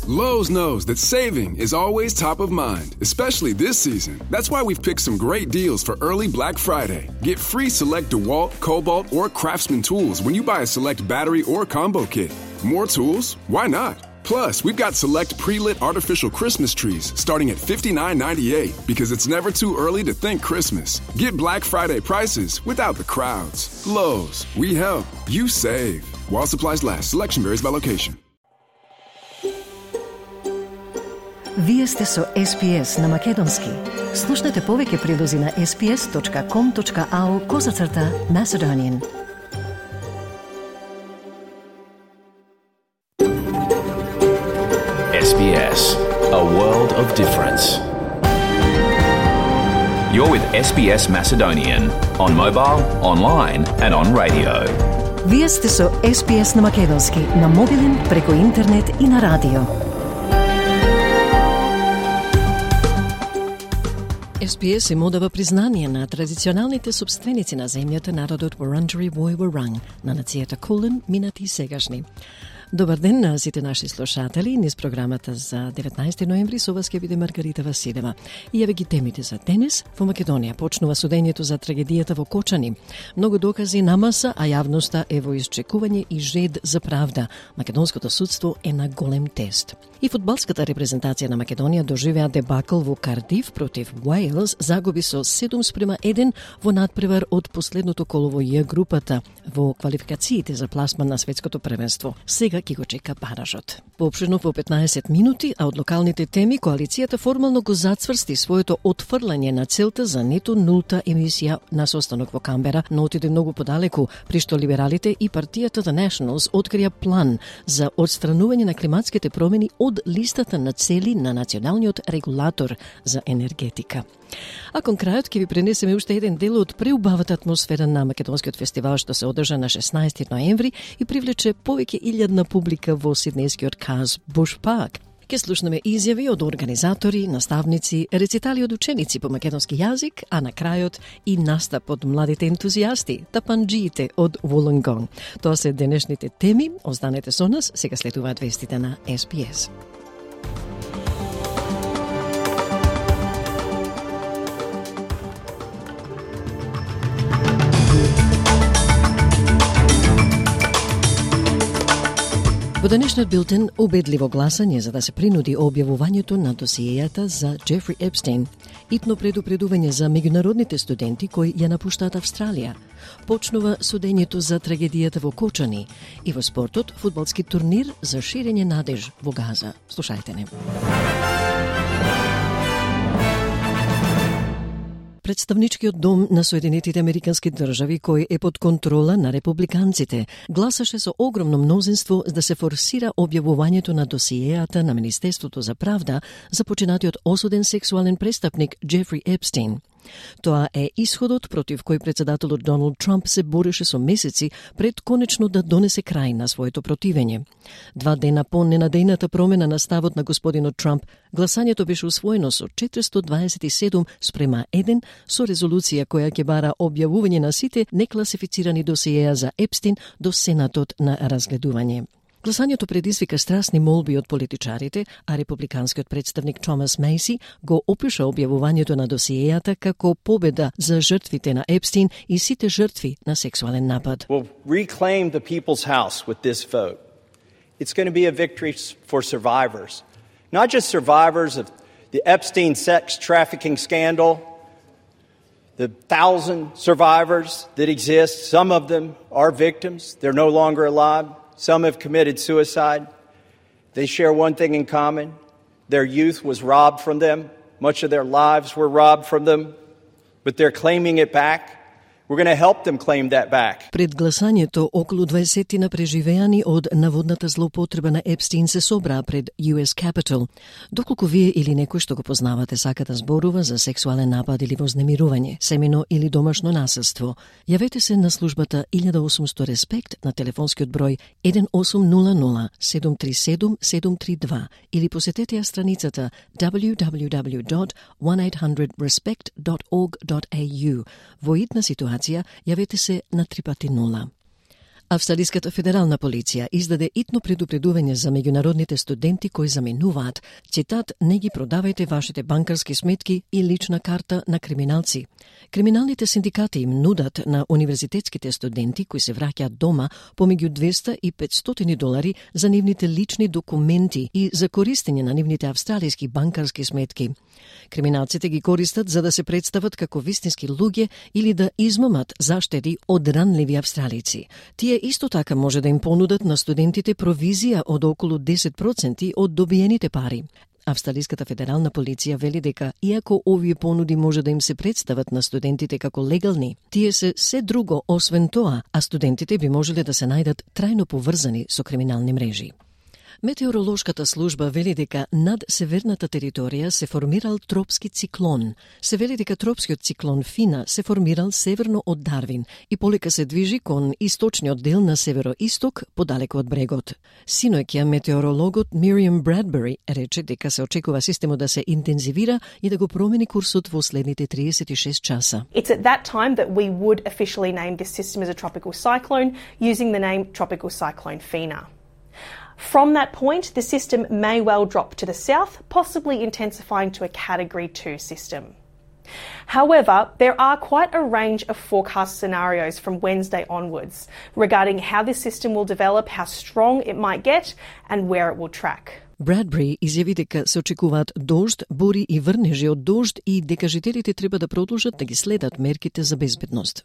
Lowe's knows that saving is always top of mind, especially this season. That's why we've picked some great deals for early Black Friday. Get free select DeWalt, Cobalt, or Craftsman tools when you buy a select battery or combo kit. More tools? Why not? Plus, we've got select pre-lit artificial Christmas trees starting at $59.98 because it's never too early to think Christmas. Get Black Friday prices without the crowds. Lowe's, we help, you save. While supplies last, selection varies by location. Вие сте со SPS на Македонски. Слушнете повеќе прилози на sps.com.au/Macedonian. SBS, a world of difference. You're with SBS Macedonian on mobile, online and on radio. Вие сте со SPS на Македонски на мобилен, преку интернет и на радио. SPS им одава признание на традиционалните собственици на земјата, народот Wurundjeri Woi Wurrung, на нацијата Kulin, минати и сегашни. Добар ден на сите наши слушатели. Низ програмата за 19 ноември со вас ќе биде Маргарита Василева. И еве ги темите за денес. Во Македонија почнува судењето за трагедијата во Кочани. Многу докази на маса, а јавноста е во исчекување и жед за правда. Македонското судство е на голем тест. И фудбалската репрезентација на Македонија доживеа дебакл во Кардиф против Уејлс, загуби со 7:1 во надпревар од последното коло во Ј групата во квалификациите за пласман на светското првенство. Сега ќе го чека баражот. Поопширно во 15 минути, а од локалните теми, коалицијата формално го зацврсти своето отфрлање на целта за нето нулта емисија на состанок во Камбера, но отиде многу подалеку, при што либералите и партијата The Nationals открија план за отстранување на климатските промени од листата на цели на националниот регулатор за енергетика. А кон крајот ќе ви пренесеме уште еден дел од преубавата атмосфера на Македонскиот фестивал што се одржа на 16 ноември и привлече повеќе илјадна публика во сиднејскиот Каз Буш Парк. Ке слушнеме изјави од организатори, наставници, рецитали од ученици по македонски јазик, а на крајот и настап од младите ентузијасти, тапанџиите од Вулонгонг. Тоа се денешните теми. Останете со нас, сега следуваат вестите на SPS. Во денешниот билтен убедливо гласање за да се принуди објавувањето на досиејата за Джефри Епстейн, итно предупредување за меѓународните студенти кои ја напуштаат Австралија, почнува судењето за трагедијата во Кочани и во спортот фудбалски турнир за ширење надеж во Газа. Слушајте не. Представничкиот дом на Соединетите Американски држави, кој е под контрола на републиканците, гласаше со огромно мнозинство да се форсира објавувањето на досиејата на Министерството за правда за починатиот осуден сексуален престапник Джефри Епстейн. Тоа е исходот против кој председателот Доналд Трамп се бореше со месеци пред конечно да донесе крај на своето противење. 2 дена по ненадејната промена на ставот на господинот Трамп, гласањето беше усвоено со 427:1 со резолуција која ќе бара објавување на сите некласифицирани досиеја за Епстейн до Сенатот на разгледување. Гласањето предизвика страсни молби од политичарите, а републиканскиот представник Томас Мейси го опиша објавувањето на досиејата како победа за жртвите на Епстейн и сите жртви на сексуален напад. We'll reclaim the people's house with this vote. It's going to be a victory for survivors. Not just survivors of the Epstein sex trafficking scandal, the 1,000 survivors that exist. Some of them are victims. They're no longer alive. Some have committed suicide. They share one thing in common. Their youth was robbed from them. Much of their lives were robbed from them. But they're claiming it back. We're going to help them claim that back. Пред гласањето, околу 20 преживеани од наводната злоупотреба на Епстейн се собраа пред US Capitol. Доколку вие или некој што го познавате сака да зборува за сексуален напад или вознемирување, семено или домашно насилство, јавете се на службата 1800 Респект на телефонскиот број 1800 737 732 или посетете ја страницата www.1800respect.org.au. Во итна ситуација, јавете се на 3x0. Австралиската федерална полиција издаде итно предупредување за меѓународните студенти кои заменуваат, цитат, не ги продавајте вашите банкарски сметки и лична карта на криминалци. Криминалните синдикати им нудат на универзитетските студенти кои се враќаат дома помеѓу 200 и 500 долари за нивните лични документи и за користење на нивните австралиски банкарски сметки. Криминалците ги користат за да се представат како вистински луѓе или да измамат заштеди од ранливи австралици. Тие исто така може да им понудат на студентите провизија од околу 10% од добиените пари. Австралиската федерална полиција вели дека, иако овие понуди може да им се представат на студентите како легални, тие се друго освен тоа, а студентите би можеле да се најдат трајно поврзани со криминални мрежи. Метеоролошката служба вели дека над северната територија се формирал тропски циклон. Се вели дека тропскиот циклон Фина се формирал северно од Дарвин и полека се движи кон источниот дел на североисток, подалеку од брегот. Синоќа метеорологот Miriam Bradbury рече дека се очекува системот да се интензивира и да го промени курсот во следните 36 часа. It's at that time that we would officially name this system as a tropical cyclone using the name Tropical Cyclone Fina. From that point, the system may well drop to the south, possibly intensifying to a Category 2 system. However, there are quite a range of forecast scenarios from Wednesday onwards regarding how this system will develop, how strong it might get, and where it will track. Bradbury изјави дека се очекуваат дожд, бури и врнежи од дожд и дека жителите треба да продолжат да ги следат мерките за безбедност.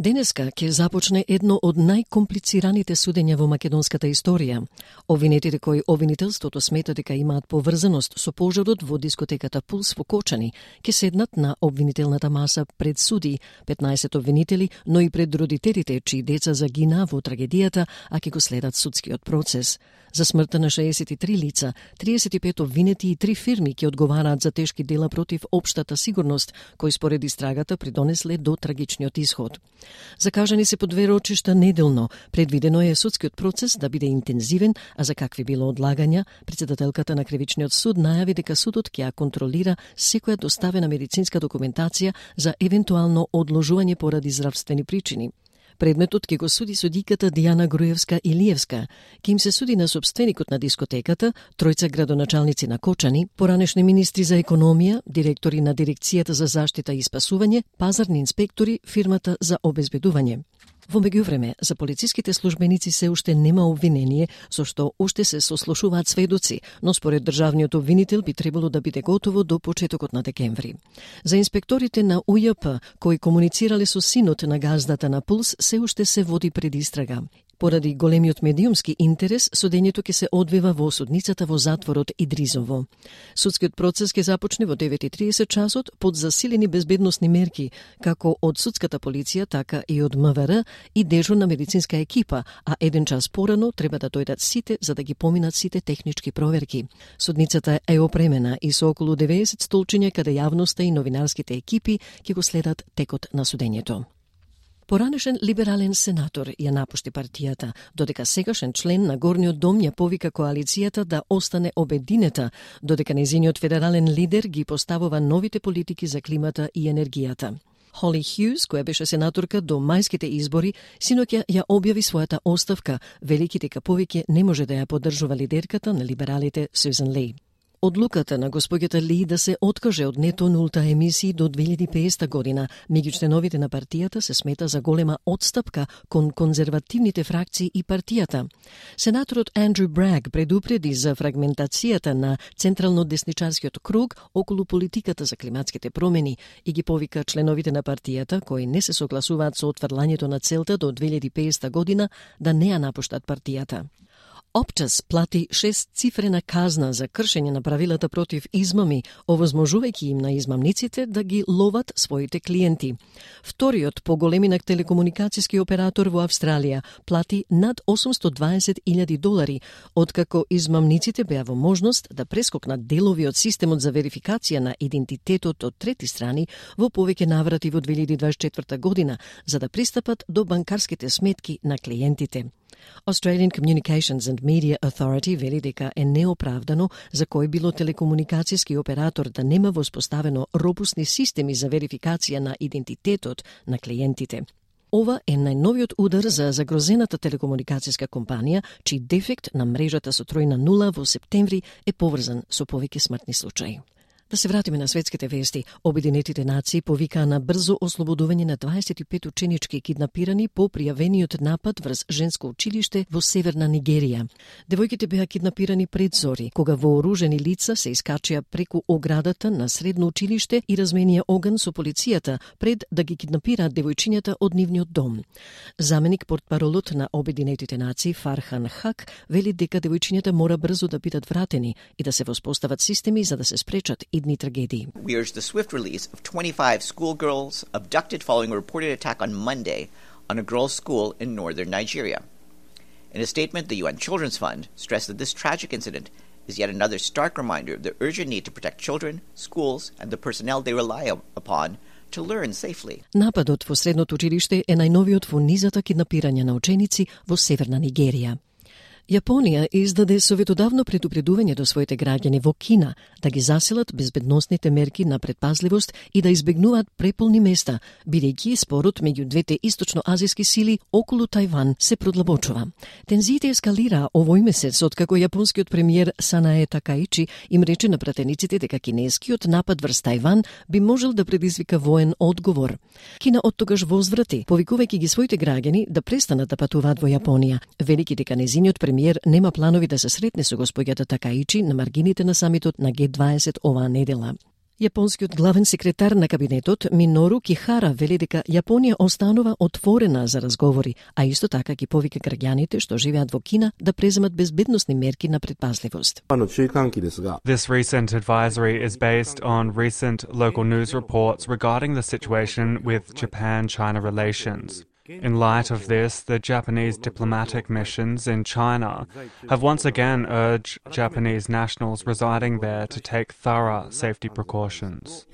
Денеска ќе започне едно од најкомплицираните судења во македонската историја. Обвинетите кои обвинителството смета дека имаат поврзаност со пожарот во дискотеката Пулс во Кочани ќе седнат на обвинителната маса пред суди, 15 обвинители, но и пред родителите чии деца загина во трагедијата, а ќе го следат судскиот процес. За смртта на 63 лица, 35 обвинети и 3 фирми ќе одговараат за тешки дела против општата сигурност, кои според истрагата придонесле до трагичниот исход. Закажани се по 2 рочишта неделно. Предвидено е судскиот процес да биде интензивен, а за какви било одлагања, председателката на кривичниот суд најави дека судот ќе ја контролира секоја доставена медицинска документација за евентуално одложување поради здравствени причини. Предметот ќе го суди судиката Дијана Груевска-Илиевска, ке им се суди на сопственикот на дискотеката, тројца градоначалници на Кочани, поранешни министри за економија, директори на Дирекцијата за заштита и спасување, пазарни инспектори, фирмата за обезбедување. Во меѓувреме, за полициските службеници се уште нема обвинение, со што уште се сослушуваат сведоци, но според државниот обвинител би требало да биде готово до почетокот на декември. За инспекторите на УЈП, кои комуницирале со синот на газдата на Пулс, се уште се води предистрага. Поради големиот медиумски интерес, судењето ќе се одвива во судницата во затворот Идризово. Судскиот процес ќе започне во 9:30 часот под засилени безбедносни мерки, како од судската полиција, така и од МВР и дежурна медицинска екипа, а 1 час порано треба да дојдат сите за да ги поминат сите технички проверки. Судницата е опремена и со околу 90 столчиња каде јавноста и новинарските екипи ќе го следат текот на судењето. Поранешен либерален сенатор ја напушти партијата, додека сегашен член на Горниот дом ја повика коалицијата да остане обединета, додека нејзиниот федерален лидер ги поставува новите политики за климата и енергијата. Холли Хјуз, која беше сенаторка до мајските избори, синоќа ја објави својата оставка, велики дека повеќе не може да ја поддржува лидерката на либералите Сюзан Ли. Одлуката на госпоѓата Ли да се откаже од нето нулта емисии до 2050 година меѓу членовите на партијата се смета за голема отстапка кон конзервативните фракции и партијата. Сенаторот Андрю Браг предупреди за фрагментацијата на централно-десничарскиот круг околу политиката за климатските промени и ги повика членовите на партијата кои не се согласуваат со отфрлањето на целта до 2050 година да не ја напуштат партијата. Optus плати 6-цифрена казна за кршење на правилата против измами, овозможувајќи им на измамниците да ги ловат своите клиенти. Вториот по големина телекомуникацијски оператор во Австралија плати над $820,000, откако измамниците беа во можност да прескокнат делови од системот за верификација на идентитетот од трети страни во повеќе наврати во 2024 година, за да пристапат до банкарските сметки на клиентите. Australian Communications and Media Authority вели дека е неоправдано за кој било телекомуникацијски оператор да нема воспоставено робусни системи за верификација на идентитетот на клиентите. ова е најновиот удар за загрозената телекомуникацијска компанија, чиј дефект на мрежата со тројна нула во септември е поврзан со повеќе смртни случаи. Да се вратиме на светските вести. Обединетите нации повикаа на брзо ослободување на 25 ученички киднапирани по пријавениот напад врз женско училиште во северна Нигерија. Девојките беа киднапирани пред зори, кога вооружени лица се искачија преку оградата на средно училиште и разменија оган со полицијата пред да ги киднапираат девојчињата од нивниот дом. Заменик портпаролот на Обединетите нации Фархан Хак вели дека девојчињата мора брзо да бидат вратени и да се воспостават системи за да се спречат идни трагедии. We urge the swift release of 25 schoolgirls abducted following a reported attack on Monday on a girls' school in northern Nigeria. In a statement, the UN Children's Fund stressed that this tragic incident is yet another stark reminder of the urgent need to protect children, schools, and the personnel they rely upon to learn safely. Нападот во средното училиште е најновиот во низата киднапирања на ученици во северна Нигерија. Јапонија издаде советодавно предупредување до своите граѓани во Кина да ги заселат безбедносните мерки на предпазливост и да избегнуваат преполни места, бидејќи спорот меѓу двете источноазијски сили околу Тајван се продлабочува. Тензиите ескалираа овој месец откако јапонскиот премиер Санае Такаичи им рече на пратениците дека кинескиот напад врз Тајван би можел да предизвика воен одговор. Кина оттогаш возврати, повикувајќи ги своите граѓани да престанат да патуваат во Јапонија, велики дека незиниот премиер нема планови да се сретне со господјата Такаичи на маргините на самитот на Г20 оваа недела. Јапонскиот главен секретар на кабинетот Минору Кихара вели дека Јапонија останува отворена за разговори, а исто така ги повика граѓаните што живеат во Кина да преземат безбедносни мерки на предпазливост. This recent advisory is based on recent local news reports regarding the situation with Japan-China relations. In light of this, the Japanese diplomatic missions in China have once again urged Japanese nationals residing there to take thorough safety precautions.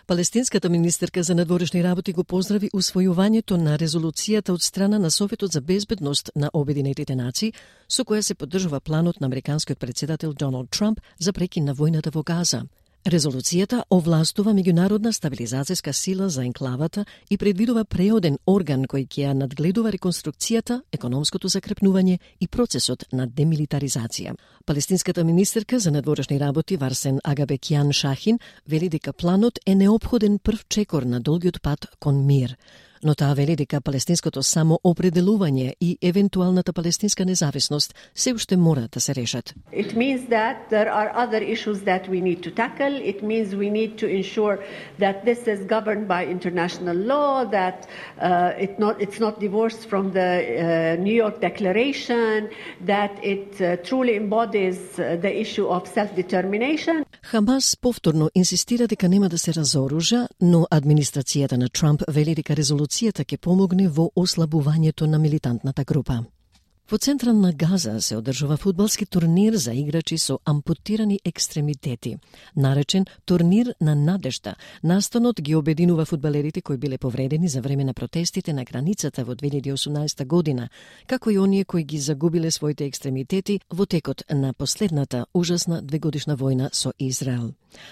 Палестинската министерка за надворешни работи го поздрави усвојувањето на резолуцијата од страна на Советот за безбедност на Обединетите нации, со која се поддржува планот на американскиот председател Доналд Трамп за прекин на војната во Газа. Резолуцијата овластува меѓународна стабилизацијска сила за енклавата и предвидува преоден орган кој ќе ја надгледува реконструкцијата, економското закрепнување и процесот на демилитаризација. Палестинската министерка за надворешни работи Варсен Агабекјан Шахин вели дека планот е неопходен прв чекор на долгиот пат кон мир. Но таа вели дека палестинското самоопределување и евентуалната палестинска независност се уште мора да се решат. It means that there are other issues that we need to tackle. It means we need to ensure that this is governed by international law, that it's not divorced from the New York Declaration, that it truly embodies the issue of self-determination. Хамас повторно инсистира дека нема да се разоружа, но администрацијата на Трамп вели дека резолуцијата ќе помогне во ослабувањето на милитантната група. Во центар на Газа се одржува фудбалски турнир за играчи со ампутирани екстремитети, наречен турнир на надежда. Настанот ги обединува фудбалерите кои биле повредени за време на протестите на границата во 2018 година, како и оние кои ги загубиле своите екстремитети во текот на последната ужасна двегодишна војна со Израел.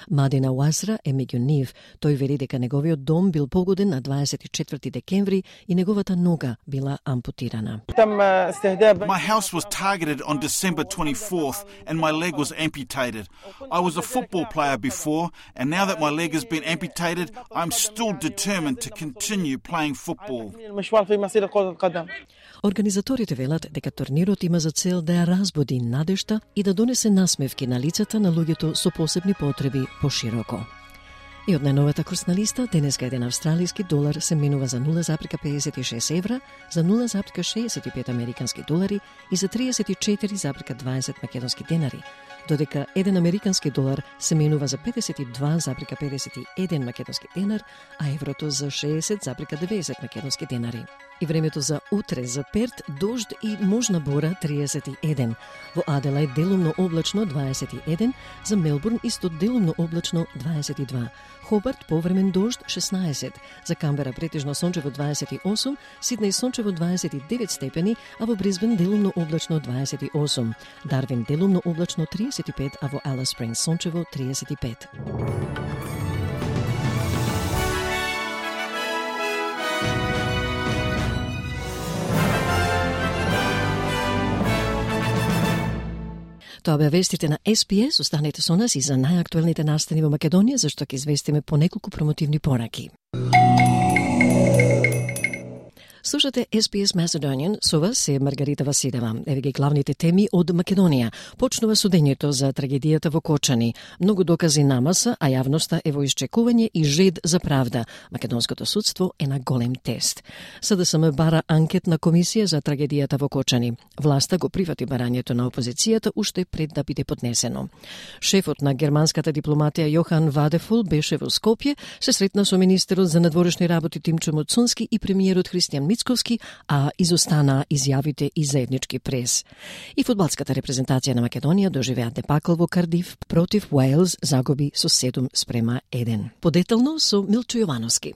Мадина Уазра е меѓу нив. Тој вели дека неговиот дом бил погоден на 24 декември и неговата нога била ампутирана. My house was targeted on December 24th and my leg was amputated. I was a football player before and now that my leg has been amputated, I'm still determined to continue playing football. Организаторите велат дека турнирот има за цел да ја разбуди надежта и да донесе насмевки на лицата на луѓето со посебни потреби пошироко. И од најновата курсна листа, денеска еден австралиски долар се менува за 0,56 евра, за 0,65 американски долари и за 34,20 македонски денари, додека еден американски долар се менува за 52,51 македонски денар, а еврото за 60,90 македонски денари. И времето за утре за Перт дожд и можна бора 31, во Аделајд делумно облачно 21, за Мелбурн исто делумно облачно 22, Хобарт повремен дожд 16, за Камбера претежно сончево 28, Сиднеј сончево 29 степени, а во Брисбен делумно облачно 28, Дарвин делумно облачно 35, а во Алис Спрингс сончево 35. Тоа беа вестите на SPS. Останете со нас и за најактуелните настани во Македонија, зашто ќе известиме по неколку промотивни пораки. Слушате SPS Macedonian, со вас е Маргарита Василева. Еве ги главните теми од Македонија. Почнува судењето за трагедијата во Кочани. Многу докази намаса, а јавноста е во исчекување и жед за правда. Македонското судство е на голем тест. СДСМ бара анкетна комисија за трагедијата во Кочани. Власта го прифати барањето на опозицијата уште пред да биде поднесено. Шефот на германската дипломатија Јохан Вадефул беше во Скопје, се сретна со министерот за надворешни работи Тимчо Муцунски и премиерот Христијан Мицковски, а изостана изјавите и заеднички прес. И фудбалската репрезентација на Македонија доживеа дебакл во Кардиф против Уелс, загуби со 7-1. Подетално со Милчо Јовановски.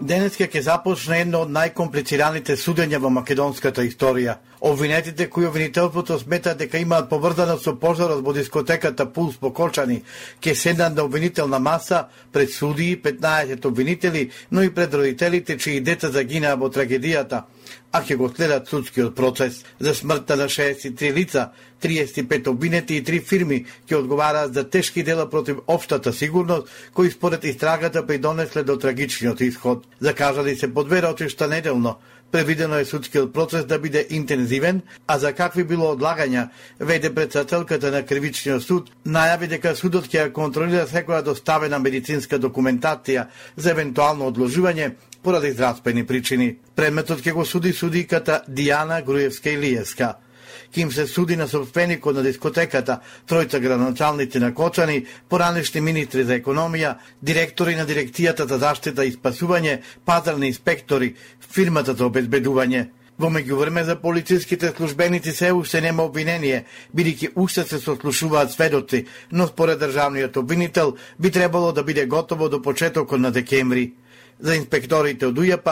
Денеска ќе започне едно од најкомплицираните судења во македонската историја. Обвинетите кои обвинителството смета дека имаат поврзано со пожарот во дискотеката Пулс во Кочани, ќе седнат на обвинителна маса пред судии, 15 обвинители, но и пред родителите чии деца загинаа во трагедијата, а ќе го следат судскиот процес. За смртта на 63 лица, 35 обвинети и 3 фирми ќе одговараат за тешки дела против општата сигурност, кои според истрагата придонесле до трагичниот исход. Закажали се по 2 рочишта неделно. Предвидено е судскиот процес да биде интензивен, а за какви било одлагања, веде председателката на кривичниот суд, најави дека судот ќе ја контролира секоја доставена медицинска документација за евентуално одложување поради здравствени причини. Предметот ќе го суди судиката Дијана Груевска-Илиевска. Ким се суди на собственикот на дискотеката, тројца градоначалници на Кочани, поранешни министри за економија, директори на дирекцијата за заштита и спасување, пазарни инспектори, фирмата за обезбедување. Во меѓувреме за полициските службеници се уште нема обвинение, бидејќи уште се сослушуваат сведоци, но според државниот обвинител би требало да биде готово до почетокот на декември. За инспекторите од УЈП,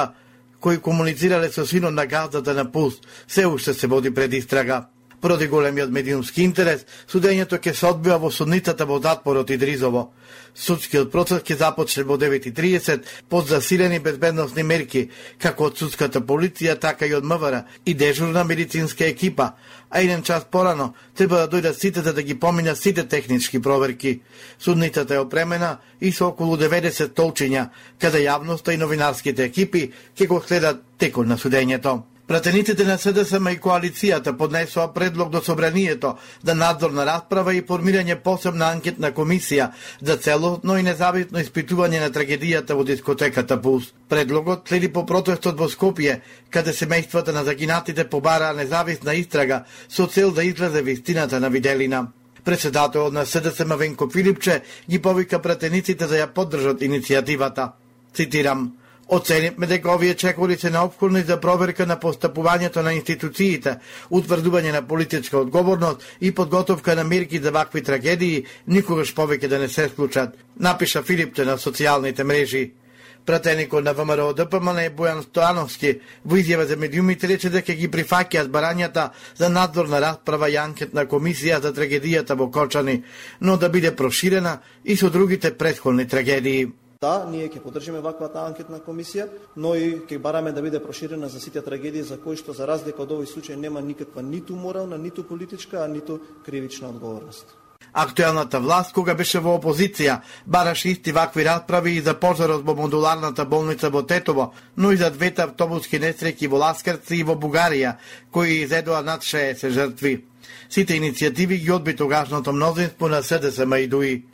кои комуницирале со синот на газдата на Пулс, се уште се води предистрага. Поради големиот медиумски интерес, судењето ќе се одбива во судницата во затворот Идризово. Судскиот процес ќе започне во 9:30 под засилени безбедносни мерки, како од судската полиција, така и од МВР и дежурна медицинска екипа, а 1 час порано треба да дојдат сите за да ги поминат сите технички проверки. Судницата е опремена и со околу 90 столчиња, каде јавноста и новинарските екипи ќе го следат текот на судењето. Пратениците на СДСМ и коалицијата поднесоа предлог до Собранието за надзорна расправа и формирање посебна анкетна комисија за целосно и независно испитување на трагедијата во дискотеката Пулс. Предлогот следи по протестот во Скопје, каде семејствата на загинатите побараа независна истрага со цел да излезе вистината на виделина. Председателот на СДСМ Венко Филипче ги повика пратениците да ја поддржат иницијативата. Цитирам: "Оценивме дека овие чекори се неопходни за проверка на постапувањето на институциите, утврдување на политичка одговорност и подготовка на мерки за вакви трагедии никогаш повеќе да не се случат", напиша Филипче на социјалните мрежи. Пратеникот на ВМРО ДПМН Бојан Стојановски во изјава за медиумите рече дека ги прифаќаат барањата за надзорна расправа и анкетна комисија за трагедијата во Кочани, но да биде проширена и со другите претходни трагедии. Да, ние ќе поддржиме ваквата анкетна комисија, но и ќе бараме да биде проширена за сите трагедии за кои што за разлика од овој случај нема никаква ниту морална, ниту политичка, а ниту кривична одговорност. Актуелната власт, кога беше во опозиција, бараше исти вакви расправи и за пожарот во модуларната болница во Тетово, но и за 2 автобуски несреќи во Ласкарци и во Бугарија, кои изедоа над 60 жртви. Сите иницијативи ги одби тогашното мнозинство на СДСМ и ДУИ.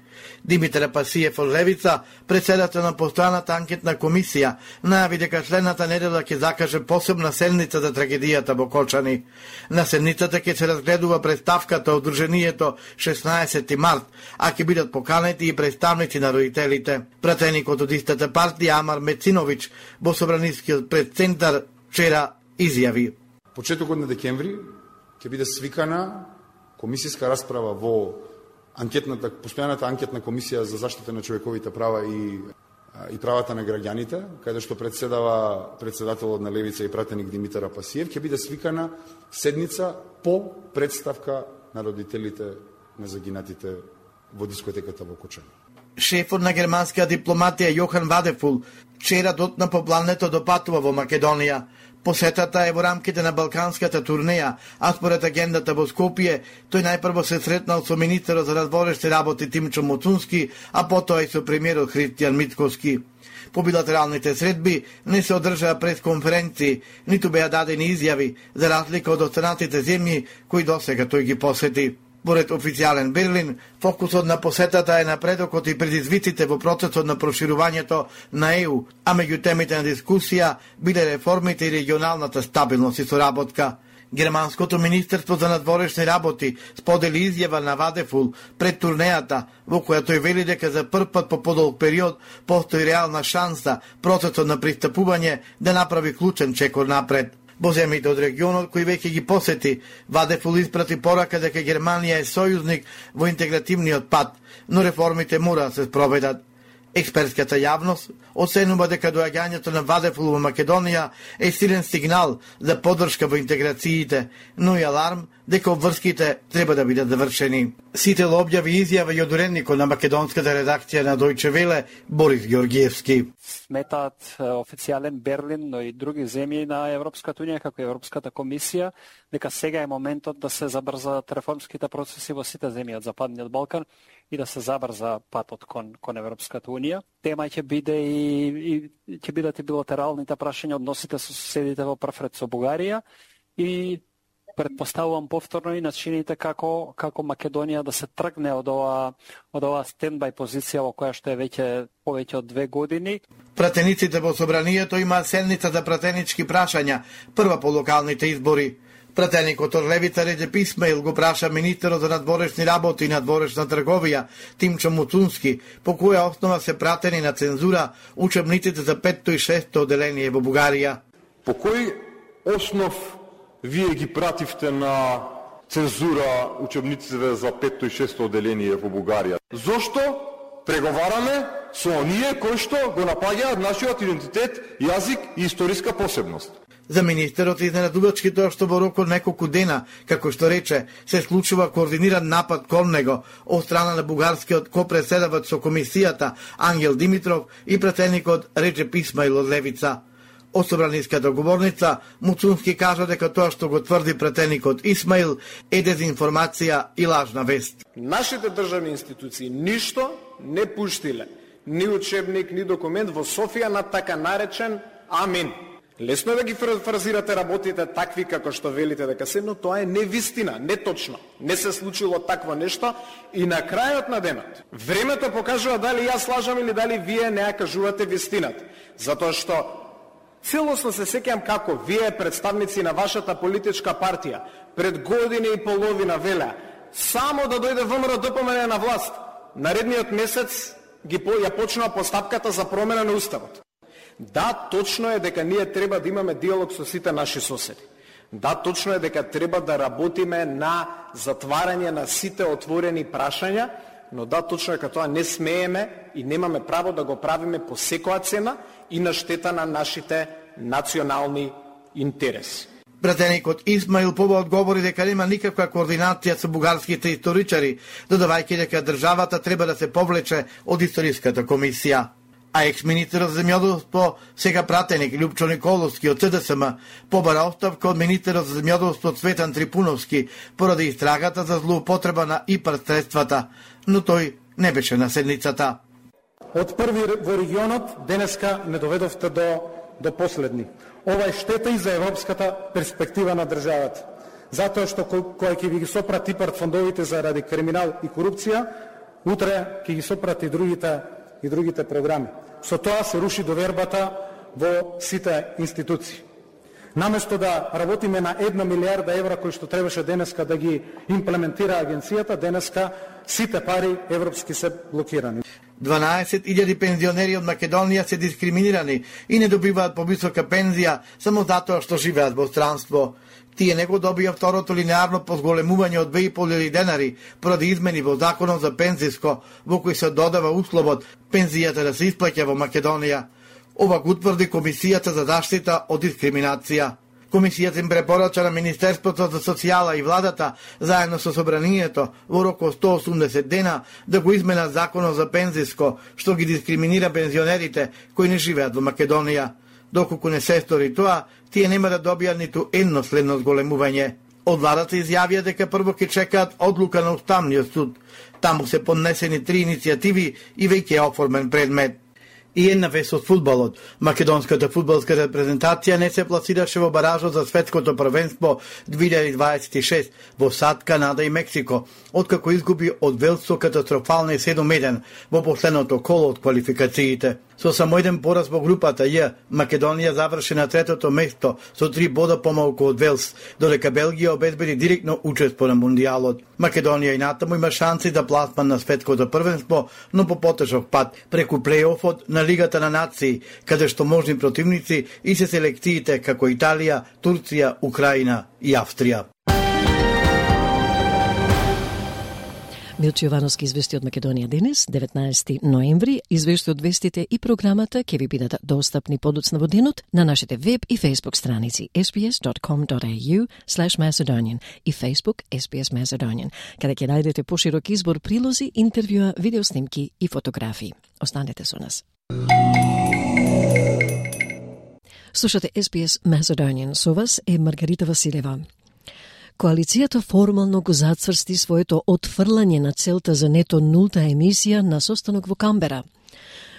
Димитар Пасиев од Левица, председател на постојаната анкетна комисија, најави дека следната недела ќе закаже посебна седница за трагедијата во Кочани. На седницата ќе се разгледува представката од Друженијето 16 март, а ќе бидат поканети и представници на родителите. Пратеникот од истата партија Амар Мециновиќ во Собранискиот предцентар вчера изјави: "Почетокот на декември ќе биде свикана комисијска расправа во постојаната анкетна комисија за заштита на човековите права и правата на граѓаните, каде што председава председателот на Левица и пратеник Димитар Пасиев, ќе биде свикана седница по представка на родителите на загинатите во дискотеката во Кочани. Шефот на германската дипломатија Јохан Вадефул вчера дотна по плането допатува во Македонија. Посетата е во рамките на балканската турнеја, а според агендата во Скопје, тој најпрво се сретнал со министерот за надворешни работи Тимчо Муцунски, а потоа и со премиерот Христијан Мицкоски. По билатералните средби не се одржаа пресконференции, ниту беа дадени изјави, за разлика од останатите земји кои досега тој ги посети. Поред официјален Берлин, фокусот на посетата е напредокот и предизвиците во процесот на проширувањето на ЕУ, а меѓу темите на дискусија биле реформите и регионалната стабилност и соработка. Германското министерство за надворешни работи сподели изјава на Вадефул пред турнејата, во која тој вели дека за прв пат по подолг период постои реална шанса процесот на пристапување да направи клучен чекор напред. Во земјите од регионот кои веќе ги посети, Вадефул испрати порака дека Германија е сојузник во интегративниот пат, но реформите мора да се спроведат. Експертската јавност оценува дека доаѓањето на Вадефул во Македонија е силен сигнал за поддршка во интеграциите, но и аларм дека обврските треба да бидат завршени. Сител објави изјава и од уредникот на македонската редакција на Дојче Веле Борис Георгиевски. Сметаат официјален Берлин, но и други земји на Европската унија, како и Европската комисија, дека сега е моментот да се забрзат реформските процеси во сите земји од Западниот Балкан и да се забрза патот кон Европската унија. Тема ќе биде и ќе бидат и билатералните прашања, односите со соседите во прв ред со Бугарија и предпоставувам повторно и начините како Македонија да се тргне од ова стендбај позиција во која што е веќе повеќе од 2 години. Пратениците во собранието имаат седница за пратенички прашања, прва по локалните избори. Пратеникот од левица Реджеп Исмаил го праша министерот за надворешни работи и надворешна трговија Тимчо Муцунски, по која основа се пратени на цензура учебниците за 5-то и 6-то оделение во Бугарија. По кој основ вие ги пративте на цензура учебниците за 5-то и 6-то оделение во Бугарија? Зошто преговараме со оние кои што го напаѓаат нашиот идентитет, јазик и историска посебност? За министерот изненадувачки тоа што во рок од неколку дена, како што рече, се случува координиран напад кон него од страна на бугарскиот копреседавач со комисијата Ангел Димитров и пратеникот Реджеп Исмаил од левица. Од собраниската говорница Муцунски кажа дека тоа што го тврди пратеникот Исмаил е дезинформација и лажна вест. Нашите државни институции ништо не пуштиле, ни учебник, ни документ во Софија на така наречен Амин. Лесно е да ги фразирате работите такви како што велите дека се, но тоа е невистина, неточно. Не се случило такво нешто и на крајот на денот времето покажува дали јас лажам или дали вие не ја кажувате вистината. Затоа што целосно се сеќам како вие, представници на вашата политичка партија, пред година и половина велеа само да дојде ВМРО ДПМН на власт, наредниот месец ја почнува постапката за промена на уставот. Да, точно е дека ние треба да имаме диалог со сите наши соседи. Да, точно е дека треба да работиме на затварање на сите отворени прашања, но да, точно е дека тоа не смееме и немаме право да го правиме по секоја цена и на штета на нашите национални интереси. Пратеникот Исмаил Поба одговори дека нема никаква координација со бугарските историчари, додавајќи дека државата треба да се повлече од историската комисија. А екс-министерот за земјоделство, сега пратеник Љупчо Николовски од ЦДСМ, побара оставка од министерот за земјоделство Цветан Трипуновски поради истрагата за злоупотреба на ИПАР средствата, но тој не беше на седницата. Од први во регионот денеска не доведовте до последни. Ова е штета и за европската перспектива на државата. Затоа што кој ќе ги сопрати ИПАР фондовите заради криминал и корупција, утре ќе ги сопрати и другите програми. Со тоа се руши довербата во сите институции. Наместо да работиме на 1 милиарда евра кои што требаше денеска да ги имплементира агенцијата, денеска сите пари европски се блокирани. 12.000 пензионери од Македонија се дискриминирани и не добиваат повисока пензија само затоа што живеат во странство. Тие не го добија второто линеарно позголемување од 2.500 денари поради измени во законот за пензиско, во кој се додава условот пензијата да се исплаќа во Македонија. Ова го утврди Комисијата за заштита од дискриминација. Комисијата им препорача на Министерството за социјала и владата, заедно со собранието, во рок од 180 дена да го измена законот за пензиско, што ги дискриминира пензионерите кои не живеат во Македонија. Доколку не се стори тоа, тие нема да добијат ниту едно следно зголемување. Од владата изјавија дека прво ќе чекаат одлука на Уставниот суд. Таму се поднесени 3 иницијативи и веќе е оформен предмет. И една вест од фудбалот. Македонската фудбалска репрезентација не се пласираше во баражот за светското првенство 2026 во САД, Канада и Мексико, откако изгуби од Велс со катастрофални 7-1 во последното коло од квалификациите. Со само еден пораз во групата Ј, Македонија заврши на 3-то место со 3 бода помалку од Велс, додека Белгија обезбеди директно учество на Мундијалот. Македонија и натаму има шанси за пласман на светското првенство, но по потежок пат преку плејофот на Лигата на нации, каде што можни противници и се селекциите како Италија, Турција, Украина и Австрија. Милчо Јовановски извести од Македонија денес, 19 ноември. Извешти од вестите и програмата ќе ви бидат достапни подоцна во денот на нашите веб и Facebook страници sbs.com.au/Macedonian и Facebook SBS Macedonian, каде ќе најдете поширок избор прилози, интервјуа, видеоснимки и фотографии. Останете со нас. Слушате SBS Macedonian. Со вас е Маргарита Василева. Коалицијата формално го зацврсти своето отфрлање на целта за нето нулта емисија на состанок во Камбера.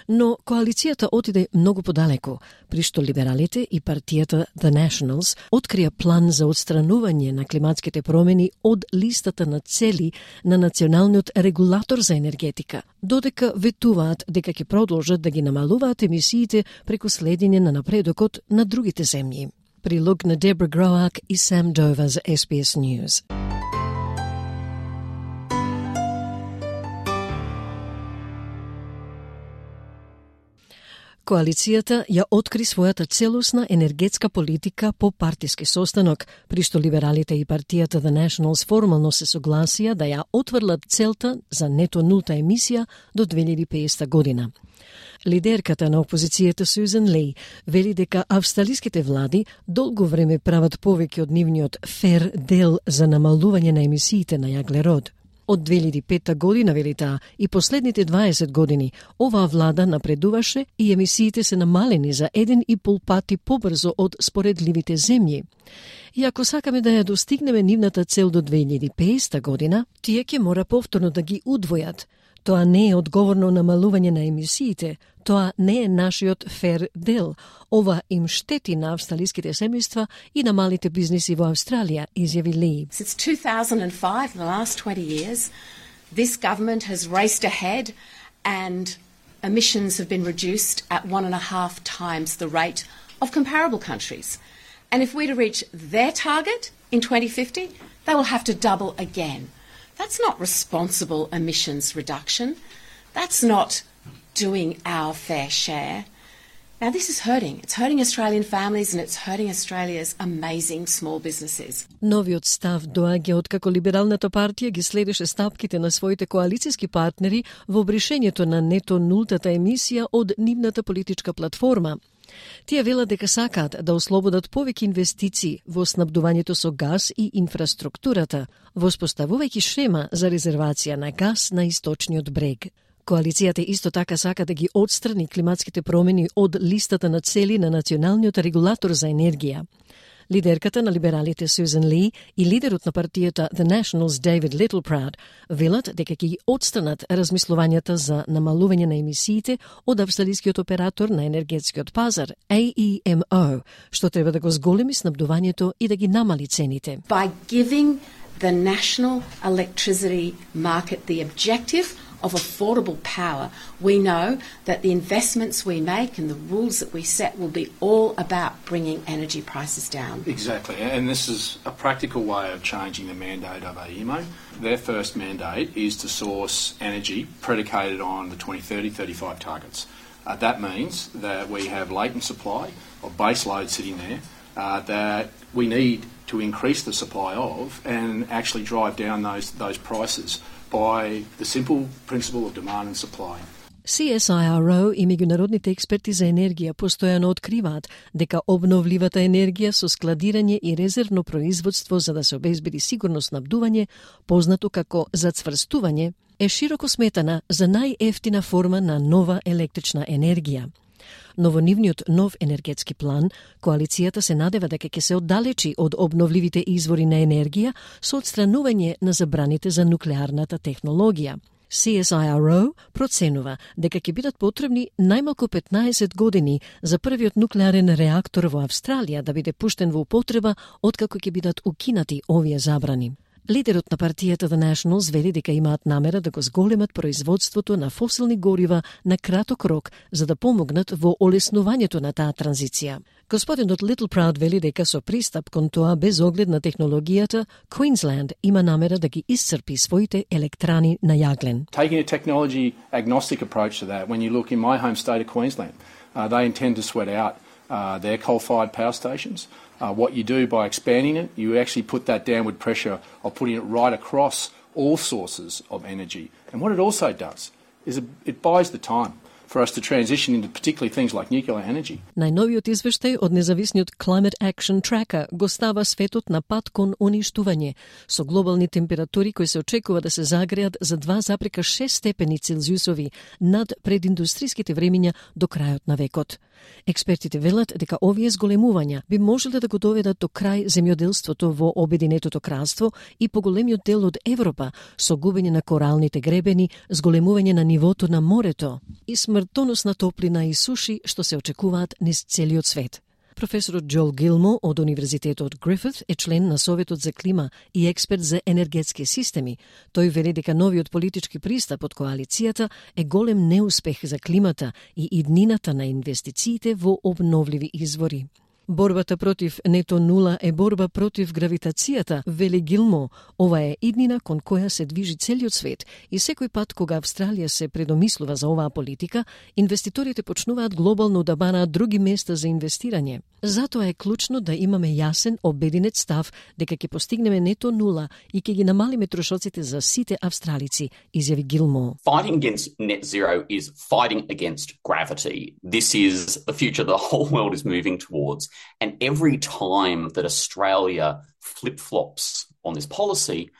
Но коалицијата отиде многу подалеку, при што либералите и партијата The Nationals открија план за отстранување на климатските промени од листата на цели на националниот регулатор за енергетика, додека ветуваат дека ќе продолжат да ги намалуваат емисиите преку следење на напредокот на другите земји. Прилог на Дебра Гроак и Сам Дова за SBS News. Коалицијата ја откри својата целосна енергетска политика по партиски состанок, при што либералите и партијата The Nationals формално се согласија да ја отврлат целта за нето нулта емисија до 2050 година. Лидерката на опозицијата Сюзан Ли вели дека австралиските влади долго време прават повеќе од нивниот фер дел за намалување на емисиите на јаглерод. Од 2005 година, вели таа, и последните 20 години, оваа влада напредуваше и емисиите се намалени за 1,5 пати побрзо од споредливите земји. И ако сакаме да ја достигнеме нивната цел до 2050 година, тие ќе мора повторно да ги удвојат. Тоа не е одговорно намалување на емисиите, тоа не е нашиот фер дел. Ова им штети на австралиските семејства и на малите бизниси во Австралија, изјави Ли. Since 2005, in the last 20 years, this government has raced ahead and emissions have been reduced at 1.5 times the rate of comparable countries. And if we're to reach their target in 2050, they will have to double again. That's not responsible emissions reduction. That's not doing our fair share. Now, this is hurting. It's hurting Australian families and it's hurting Australia's amazing small businesses. Новиот став доаѓа откако Либералната партија ги следеше стапките на своите коалицијски партнери во бришењето на нето нултата емисија од нивната политичка платформа. Тие велат дека сакаат да ослободат повеќе инвестиции во снабдувањето со газ и инфраструктурата, воспоставувајќи шема за резервација на газ на источниот брег. Коалицијата исто така сака да ги отстрани климатските промени од листата на цели на националниот регулатор за енергија. Лидерката на либералите Сюзан Ли и лидерот на партијата The Nationals David Littleproud велат дека ќе ги отстранат размислувањата за намалување на емисиите од австралискиот оператор на енергетскиот пазар AEMO, што треба да го зголеми снабдувањето и да ги намали цените. By giving the national electricity market the objective of affordable power, we know that the investments we make and the rules that we set will be all about bringing energy prices down. Exactly, and this is a practical way of changing the mandate of AEMO. Their first mandate is to source energy predicated on the 2030-35 targets. That means that we have latent supply of base load sitting there that we need to increase the supply of and actually drive down those prices by the simple principle of demand and supply. CSIRO и меѓународните експерти за енергија постојано откриваат дека обновливата енергија со складирање и резервно производство за да се обезбеди сигурно снабдување, познато како зацврстување, е широко сметана за најефтина форма на нова електрична енергија. Но во нивниот нов енергетски план, коалицијата се надева дека ќе се оддалечи од обновливите извори на енергија со отстранување на забраните за нуклеарната технологија. CSIRO проценува дека ќе бидат потребни најмалку 15 години за првиот нуклеарен реактор во Австралија да биде пуштен во употреба откако ќе бидат укинати овие забрани. Лидерот на партијата The Nationals вели дека имаат намера да го зголемат производството на фосилни горива на краток рок за да помогнат во олеснувањето на таа транзиција. Господинот Littleproud вели дека со пристап кон тоа без оглед на технологијата, Queensland има намера да ги исцрпи своите електрани на јаглен. Taking a technology agnostic approach to that, when you look in my home state of Queensland, they intend to sweat out their coal-fired power stations. What you do by expanding it, you actually put that downward pressure of putting it right across all sources of energy. And what it also does is it buys the time for us to transition into particularly things like nuclear energy. Најновиот извештај од независниот Climate Action Tracker го става светот на пат кон уништување, со глобални температури кои се очекува да се загреат за 2,6 степени Целзиусови над прединдустриските времиња до крајот на векот. Експертите велат дека овие зголемувања би можеле да го доведат до крај земјоделството во Обединетото кралство и поголемиот дел од Европа, со губење на коралните гребени, зголемување на нивото на морето и смртоносна топлина и суши што се очекуваат низ целиот свет. Професорот Джоел Гилмо од Универзитетот Грифит е член на Советот за клима и експерт за енергетски системи. Тој вели дека новиот политички пристап од коалицијата е голем неуспех за климата и иднината на инвестициите во обновливи извори. Борбата против нето нула е борба против гравитацијата, вели Гилмо. Ова е иднина кон која се движи целиот свет и секој пат кога Австралија се предомислува за оваа политика, инвеститорите почнуваат глобално да бараат други места за инвестирање. Затоа е клучно да имаме јасен, обединет став дека ќе постигнеме нето нула и ќе ги намалиме трошоците за сите австралици, изјави Гилмо. Fighting against net zero is fighting against gravity. This is the future the whole world is moving towards. And every time that Australia flip-flops on this policy,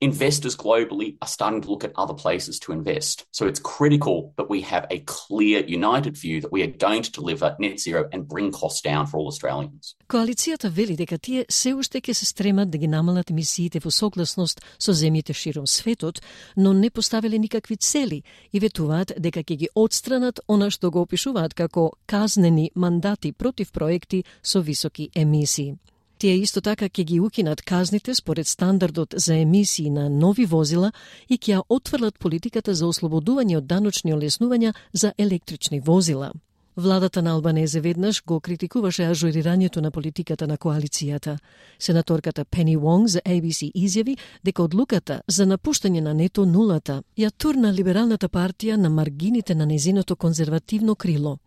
investors globally are starting to look at other places to invest. So it's critical that we have a clear, united view that we are going to deliver net zero and bring costs down for all Australians. Коалицијата вели дека тие се уште ќе се стремат да ги намалат емисиите во согласност со земјите широм светот, но не поставиле никакви цели и ветуваат дека ќе ги отстранат она што го опишуваат како казнени мандати против проекти со високи емисии. Тие исто така ќе ги укинат казните според стандардот за емисии на нови возила и ќе ја отфрлат политиката за ослободување од даночни олеснувања за електрични возила. Владата на Албанезе веднаш го критикуваше ажурирањето на политиката на коалицијата. Сенаторката Пени Вонг за ABC изјави дека одлуката за напуштање на нето нулата ја турна либералната партија на маргините на незиното конзервативно крило.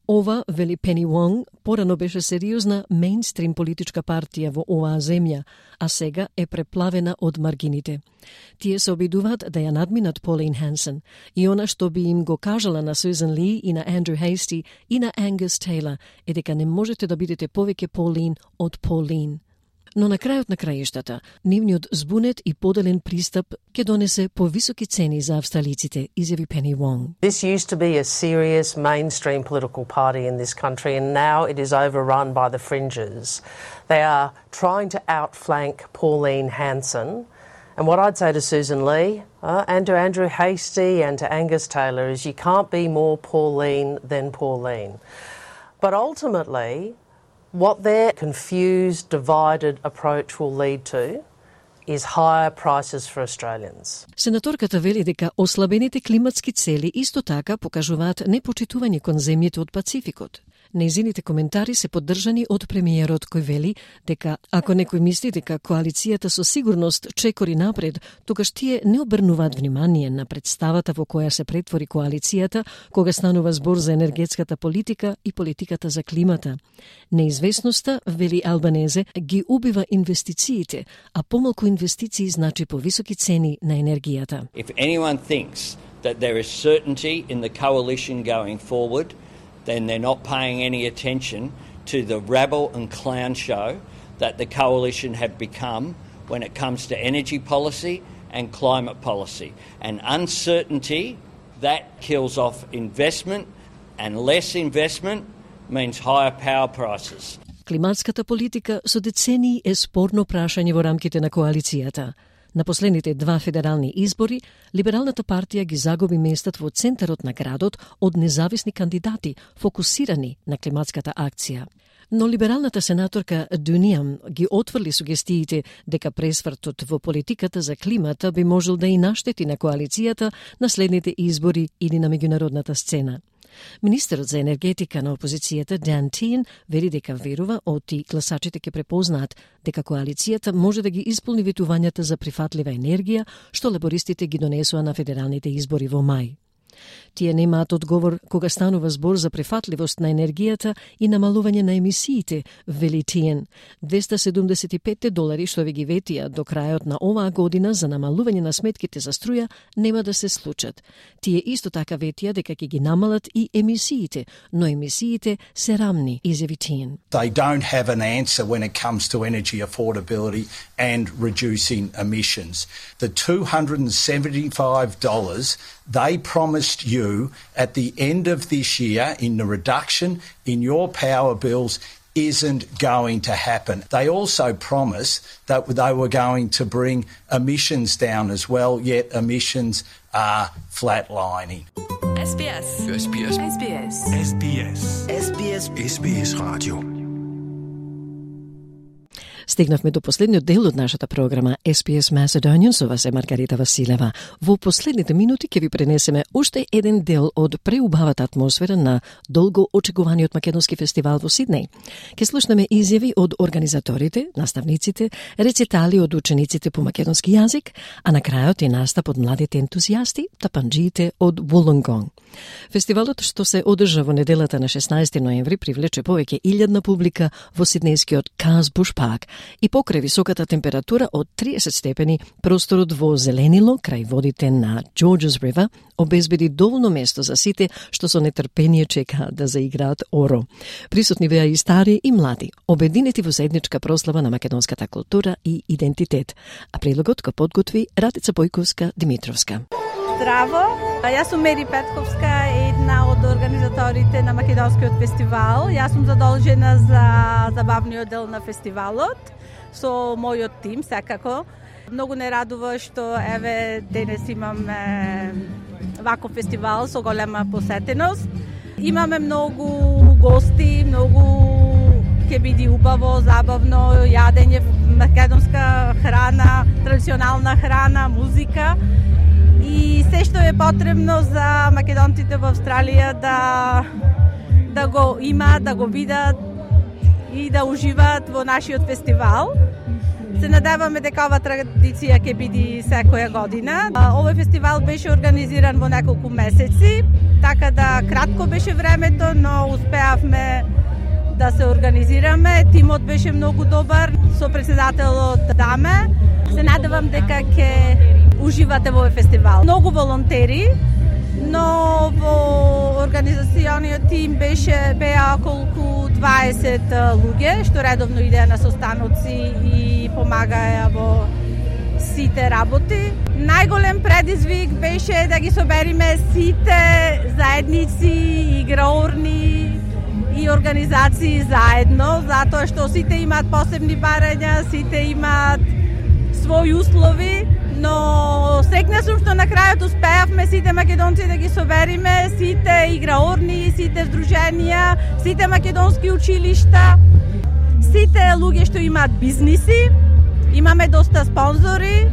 Ова, вели Пени Вонг, порано беше сериозна мејнстрим политичка партија во оваа земја, а сега е преплавена од маргините. Тие се обидуваат да ја надминат Полин Хансен и она што би им го кажала на Сюзан Ли и на Андрю Хейсти и на Ангус Тейлор е дека не можете да бидете повеќе Полин од Полин. Но на крајот на краиштата, нивниот збунет и поделен пристап ќе донесе повисоки цени за австралиците, изјави Пени Вонг. This used to be a serious mainstream political party in this country and now it is overrun by the fringes. They are trying to outflank Pauline Hanson. And what I'd say to Susan Lee and to Andrew Hastie and to Angus Taylor is you can't be more Pauline than Pauline. But ultimately, what their confused, divided approach will lead to is higher prices for Australians. Сенаторката вели дека ослабените климатски цели исто така покажуваат непочитување кон земјите од Пацификот. Нејзините коментари се поддржани од премиерот кој вели дека ако некој мисли дека коалицијата со сигурност чекори напред, тогаш тие не обрнуваат внимание на представата во која се претвори коалицијата кога станува збор за енергетската политика и политиката за климата. Неизвестноста, вели Албанезе, ги убива инвестициите, а помалку инвестиции значи повисоки цени на енергијата. If anyone thinks that there is certainty in the coalition going forward, then they're not paying any attention to the rabble and clown show that the coalition have become when it comes to energy policy and climate policy. And uncertainty, that kills off investment, and less investment means higher power prices. Климатската политика со децении е спорно прашање во рамките на коалицијата. На последните два федерални избори, Либералната партија ги загуби местат во центарот на градот од независни кандидати фокусирани на климатската акција. Но либералната сенаторка Дуниам ги отврли сугестиите дека пресвртот во политиката за климата би можел да и наштети на коалицијата на следните избори или на меѓународната сцена. Министерот за енергетика на опозицијата Дан Тиен вели дека верува оти гласачите ќе препознаат дека коалицијата може да ги исполни ветувањата за прифатлива енергија што лабористите ги донесоа на федералните избори во мај. Тие немаат одговор кога станува збор за прифатливост на енергијата и намалување на емисиите, вели Тиен. $275 што ви ги ветија до крајот на оваа година за намалување на сметките за струја нема да се случат. Тие исто така ветија дека ќе ги намалат и емисиите, но емисиите се рамни, изјави Тиен. They don't have an answer when it comes to energy affordability and reducing emissions. The $275 they promised you at the end of this year in the reduction in your power bills isn't going to happen. They also promised that they were going to bring emissions down as well, yet emissions are flatlining. SBS. SBS. SBS. SBS. SBS. SBS Radio. Стигнавме до последниот дел од нашата програма SPS Macedonian, со вас е Маргарита Василева. Во последните минути ќе ви пренесеме уште еден дел од преубавата атмосфера на долго очекуваниот македонски фестивал во Сиднеј. Ќе слушнеме изјави од организаторите, наставниците, рецитали од учениците по македонски јазик, а на крајот и настап од младите ентузијасти, тапанџиите од Вулонгонг. Фестивалот што се одржа во неделата на 16 ноември привлече повеќе 1000 публика во сиднејскиот Каз Буш Парк и покрај високата температура од 30 степени, просторот во Зеленило, крај водите на Georges River, обезбеди доволно место за сите што со нетрпение чекаат да заиграат оро. Присутни беа и стари и млади, обединети во заедничка прослава на македонската култура и идентитет. А прилогот го подготви Радица Бојковска-Димитровска. Здраво, јас сум Мери Петковска, една од организаторите на Македонскиот фестивал. Јас сум задолжена за забавниот дел на фестивалот со мојот тим, секако. Многу не радува што еве денес имаме ваков фестивал со голема посетеност. Имаме многу гости, многу ќе биде убаво, забавно, јадење, македонска храна, традиционална храна, музика. И се што е потребно за македонците во Австралија да го имаат, да го видат и да уживаат во нашиот фестивал. Се надеваме дека ова традиција ќе биде секоја година. Овој фестивал беше организиран во неколку месеци, така да кратко беше времето, но успеавме да се организираме. Тимот беше многу добар со претседателот Даме. Се надевам дека ќе уживате во овој фестивал. Многу волонтери, но во организациониот тим беа околку 20 луѓе, што редовно идеа на состаноци и помагаја во сите работи. Најголем предизвик беше да ги собериме сите заедници, играорни и организации заедно, затоа што сите имаат посебни барања, сите имаат своји услови, но среќна сум што на крајот успеавме сите македонци да ги собериме, сите играорни, сите здруженија, сите македонски училишта, сите луѓе што имаат бизниси, имаме доста спонзори,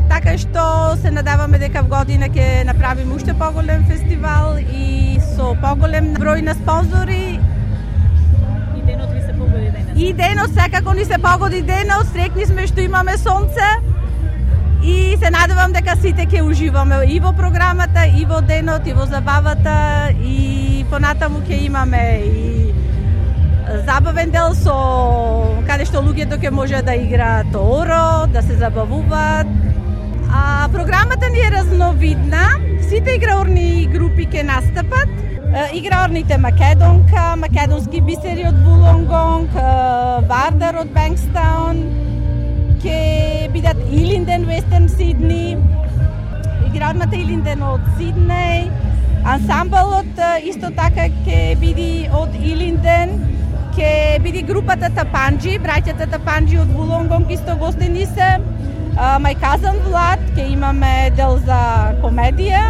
така што се надеваме дека в година ќе направиме уште поголем фестивал и со поголем број на спонзори. И денот секако ни се погоди денот, среќни сме што имаме сонце и се надевам дека сите ќе уживаме и во програмата, и во денот, и во забавата, и понатаму ќе имаме и забавен дел со каде што луѓето ќе може да играат оро, да се забавуваат. Програмата ни е разновидна. Сите играорни групи ќе настапат. Играорните Македонка, македонски бисери од Вулонгонг, Вардар од Бенкстаун, ќе бидат Илинден, Вестерн Сидни, играорната Илинден од Сиднеј, ансамблот исто така ќе биде од Илинден, ќе биде групата Тапанджи, браќата Тапанджи од Вулонгонг исто гостени се. Мај казан Влад, ќе имаме дел за комедија.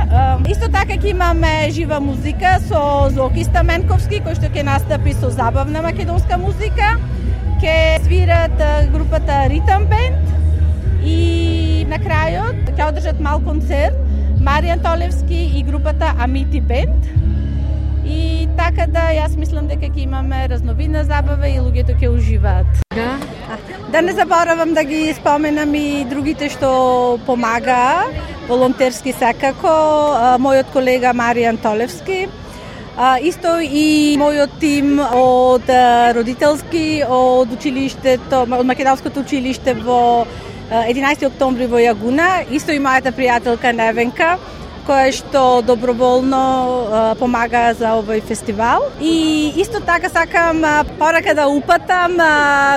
Исто така ќе имаме жива музика со Зоки Стаменковски, кој што ќе настапи со забавна македонска музика. Ќе свират групата Ритам Бенд и на крајот ќе одржат мал концерт Маријан Толевски и групата Амити Бенд. И така да, јас мислам дека ќе имаме разновидна забава и луѓето ќе уживаат. Да не заборавам да ги споменам и другите што помага, волонтерски секако, мојот колега Маријан Толевски, исто и мојот тим од родителски, од училиштето, од Македонското училиште во 11 октомври во Јагуна, исто и мојата пријателка Невенка, која што доброволно помага за овој фестивал. И исто така сакам порака да упатам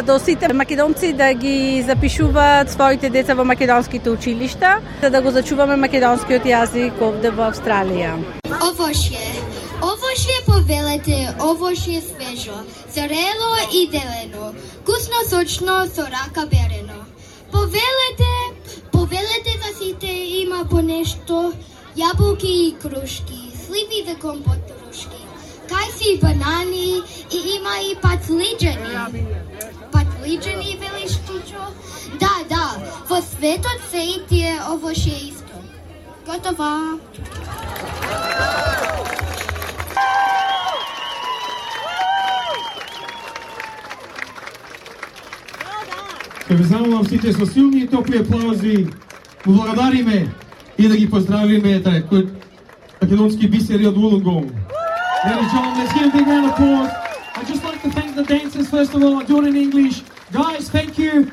до сите македонци да ги запишуваат своите деца во македонските училишта, за да го зачуваме македонскиот јазик овде во Австралија. Овошје повелете, овошје свежо, зрело и делено, вкусно сочно со рака берено. Повелете за сите има по нешто, јаболки и крушки, сливи за компот рушки, кајси банани и има и патлиџани. Патлиџани, велиш Тичо? Да, во светот се и тие овошје исто. Готова! Ке ве замолам сите со силни и топли аплаузи, му благодариме и да ги поздравиме кој македонски бисери од Вулонгонг. Ladies and gentlemen, let's give a big round of applause. I'd just like to thank the dancers first of all. I'll do it in English. Guys, thank you.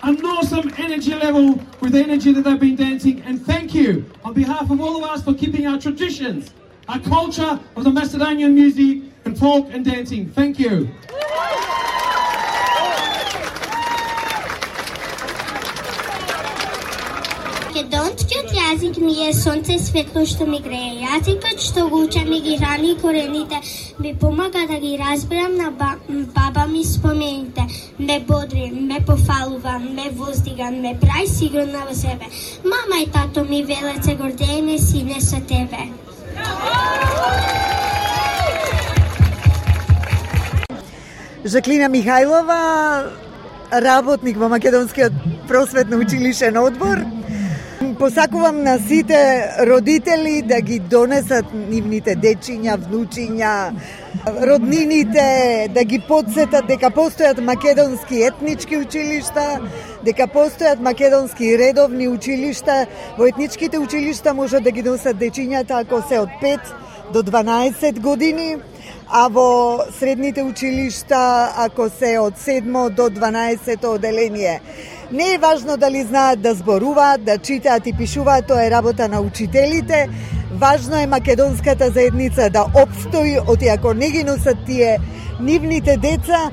An awesome energy level with the energy that they've been dancing, and thank you on behalf of all of us for keeping our traditions, our culture of the Macedonian music and folk and dancing. Thank you. Македонскиот јазик ми е сонце светло што ми грее. Јазикот што го учам и ги рани корените ми помага да ги разберам на баба ми спомените. Ме бодри, ме пофалува, ме воздига, ме прави сигурна во себе. Мама и тато ми велат се гордееме сине со тебе. Жаклина Михајлова, работник во Македонскиот просветно училишен одбор. Посакувам на сите родители да ги донесат нивните дечиња, внучиња, роднините, да ги подсетат дека постојат македонски етнички училишта, дека постојат македонски редовни училишта. Во етничките училишта може да ги донесат дечињата ако се од 5 до 12 години, а во средните училишта ако се од 7 до 12 оделение. Не е важно дали знаат да зборуваат, да читаат и пишуваат, тоа е работа на учителите. Важно е македонската заедница да опстои, оти ако не ги носат тие нивните деца,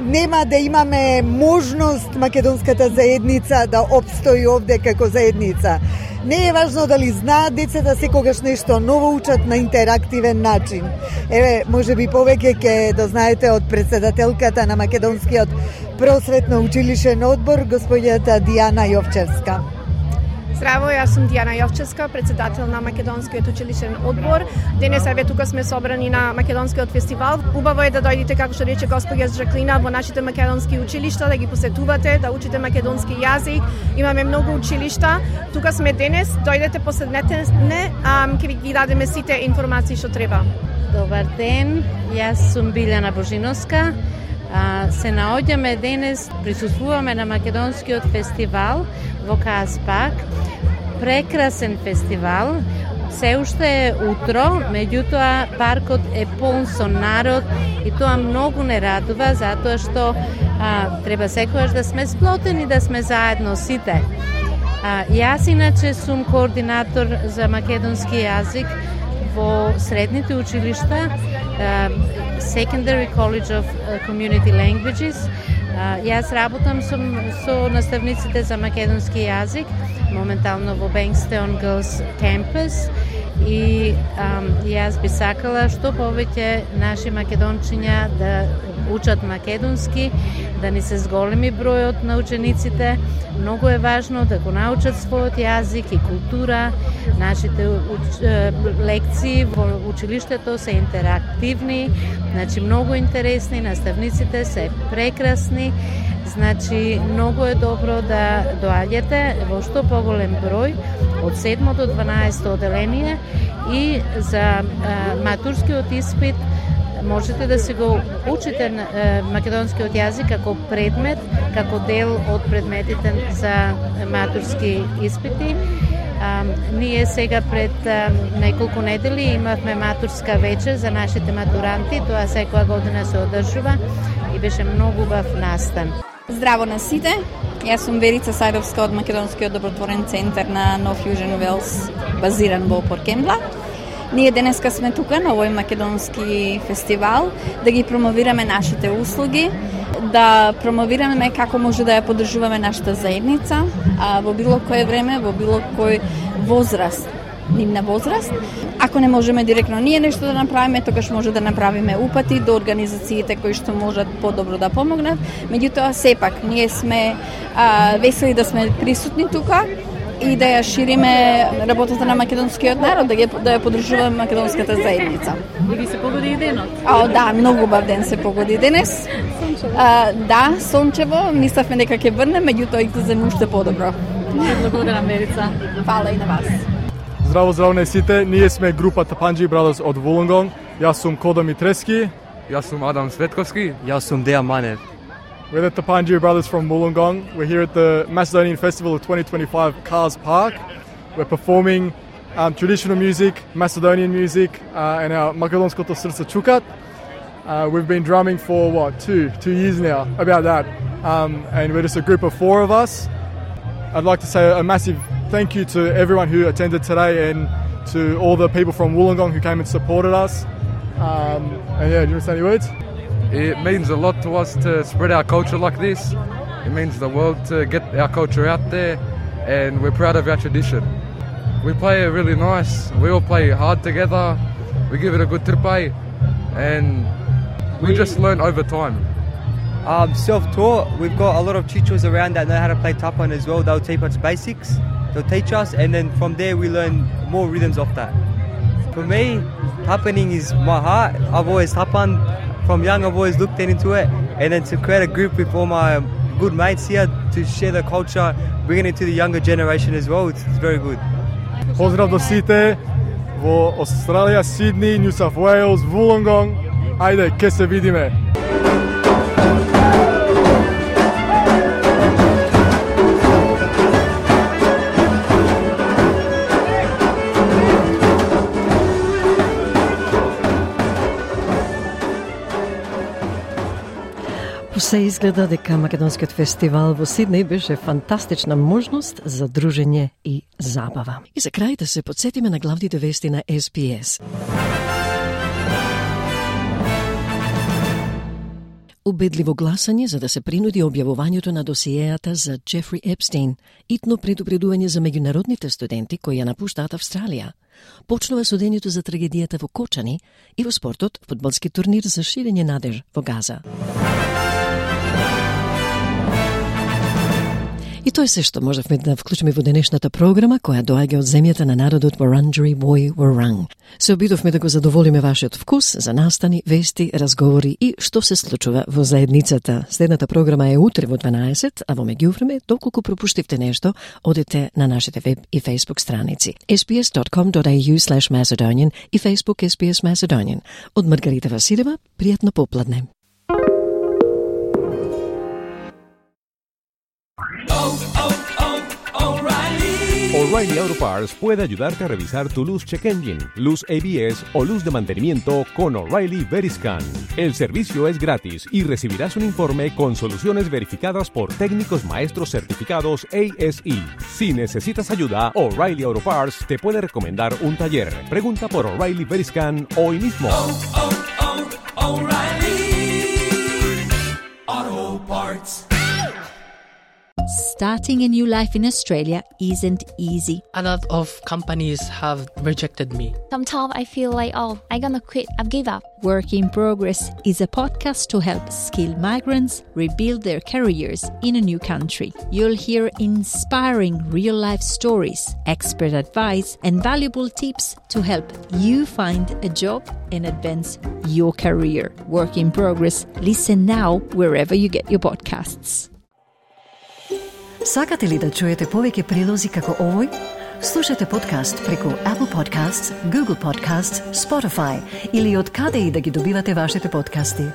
нема да имаме можност македонската заедница да опстои овде како заедница. Не е важно дали знаат децата, секогаш нешто ново учат на интерактивен начин. Еве, можеби повеќе ќе дознаете од претседателката на Македонскиот просветно училишен одбор, господјата Дијана Јовчевска. Здраво, јас сум Дијана Јовчевска, председател на Македонскиот училишен одбор. Денес еве тука сме собрани на Македонскиот фестивал. Убаво е да дојдете, како што рече господја Жаклина, во нашите македонски училишта, да ги посетувате, да учите македонски јазик. Имаме многу училишта. Тука сме денес, дојдете, поседнете, ќе ви ги дадеме сите информации што треба. Добар ден, јас сум Билјана Божиновска. Се наоѓаме денес, присуствуваме на Македонскиот фестивал во Каспак. Прекрасен фестивал. Се уште е утро, меѓутоа паркот е полн со народ и тоа многу не радува, затоа што треба секогаш да сме сплотени, да сме заедно сите. Јас иначе сум координатор за македонски јазик во средните училишта, Secondary College of Community Languages. Јас работам со наставниците за македонски јазик, моментално во Bankstown Girls Campus, и јас би сакала што повеќе наши македончиња да учат македонски, да ни се зголеми бројот на учениците. Многу е важно да го научат својот јазик и култура. Нашите лекции во училиштето се интерактивни, значи многу интересни, наставниците се прекрасни. Значи, многу е добро да доаѓате во што поголем број од 7 до 12 оделение, и за матурскиот испит можете да се го учите македонскиот јазик како предмет, како дел од предметите за матурски испити. Ние сега пред неколку недели имавме матурска вечер за нашите матуранти, тоа секоја година се одржува и беше многу убав настан. Здраво на сите, јас сум Верица Сајровска од Македонскиот добротворен центар на Нов Јужен Велс, базиран во Поркембла. Ние денеска сме тука на овој македонски фестивал да ги промовираме нашите услуги, да промовираме како може да ја поддржуваме нашата заедница во било кое време, во било кој возраст, нивна возраст. Ако не можеме директно ние нешто да направиме, тогаш може да направиме упати до организациите кои што можат подобро да помогнат. Меѓутоа, сепак, ние сме весели да сме присутни тука и да ја шириме работата на македонскиот народ, да ја поддржуваме македонската заедница. И ви се погоди и денот? Да, многу убав ден се погоди денес. Да, сончево, мислевме дека ќе врне, меѓутоа излезе уште подобро. Благодарам, Верица. Фала и на вас. Здраво на сите, ние сме група Tapanji Brothers од Wollongong. Јас сум Кодо Митрески. Јас сум Адам Светковски. Јас сум Дејан Манев. We're the Tapanji Brothers from Wollongong. We're here at the Macedonian Festival of 2025 Cars Park. We're performing traditional music, Macedonian music, and our Makedonskoto Srce Čukat. We've been drumming for, 2 years now, about that. And we're just a group of 4 of us. I'd like to say a massive thank you to everyone who attended today and to all the people from Wollongong who came and supported us. And yeah, do you want to say any words? It means a lot to us to spread our culture like this. It means the world to get our culture out there, and we're proud of our tradition. We play really nice. We all play hard together. We give it a good tripai, and we just learn over time. Self-taught. We've got a lot of teachers around that know how to play tapan as well. They'll teach us basics. They'll teach us, and then from there we learn more rhythms off that. For me, tapaning is my heart. I've always tapan. From young, I've always looked into it, and then to create a group with all my good mates here to share the culture, bringing it to the younger generation as well, it's very good. Поздрав до сите во Австралија, Сидни, Нью Саут Уејлс, Wollongong. Ајде, ке се видиме. Се изгледа дека Македонскиот фестивал во Сиднеј беше фантастична можност за дружење и забава. И за крај да се подсетиме на главните вести на SBS. Убедливо гласање за да се принуди објавувањето на досиејата за Джефри Епстейн, итно предупредување за меѓународните студенти кои ја напуштаат Австралија. Почнува судењето за трагедијата во Кочани и во спортот фудбалски турнир за ширење надеж во Газа. И тоа е се што можевме да вклучиме во денешната програма која доаѓа од земјата на народот Wurundjeri Woi Wurrung. Се обидовме да го задоволиме вашиот вкус за настани, вести, разговори и што се случува во заедницата. Следната програма е утре во 12, а во меѓувреме, доколку пропуштивте нешто, одете на нашите веб и Facebook страници sbs.com.au/Macedonian и Facebook SBS Macedonian. Од Маргарита Василева, пријатно попладне. O'Reilly Auto Parts puede ayudarte a revisar tu luz check engine, luz ABS o luz de mantenimiento con O'Reilly Veriscan. El servicio es gratis y recibirás un informe con soluciones verificadas por técnicos maestros certificados ASE. Si necesitas ayuda, O'Reilly Auto Parts te puede recomendar un taller. Pregunta por O'Reilly Veriscan hoy mismo. O'Reilly Auto Parts. Starting a new life in Australia isn't easy. A lot of companies have rejected me. Sometimes I feel like, I'm gonna quit, I've give up. Work in Progress is a podcast to help skilled migrants rebuild their careers in a new country. You'll hear inspiring real-life stories, expert advice, and valuable tips to help you find a job and advance your career. Work in Progress. Listen now wherever you get your podcasts. Сакате ли да чуете повеќе прилози како овој? Слушате подкаст преку Apple Podcasts, Google Podcasts, Spotify или од каде и да ги добивате вашите подкасти.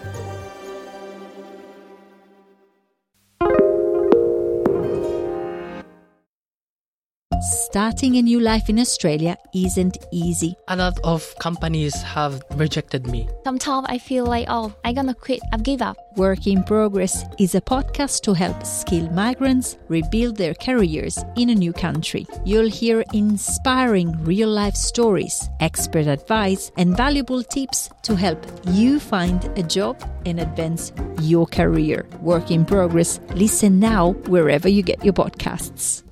Starting a new life in Australia isn't easy. A lot of companies have rejected me. Sometimes I feel like, I'm gonna quit, I've give up. Work in Progress is a podcast to help skilled migrants rebuild their careers in a new country. You'll hear inspiring real-life stories, expert advice, and valuable tips to help you find a job and advance your career. Work in Progress. Listen now wherever you get your podcasts.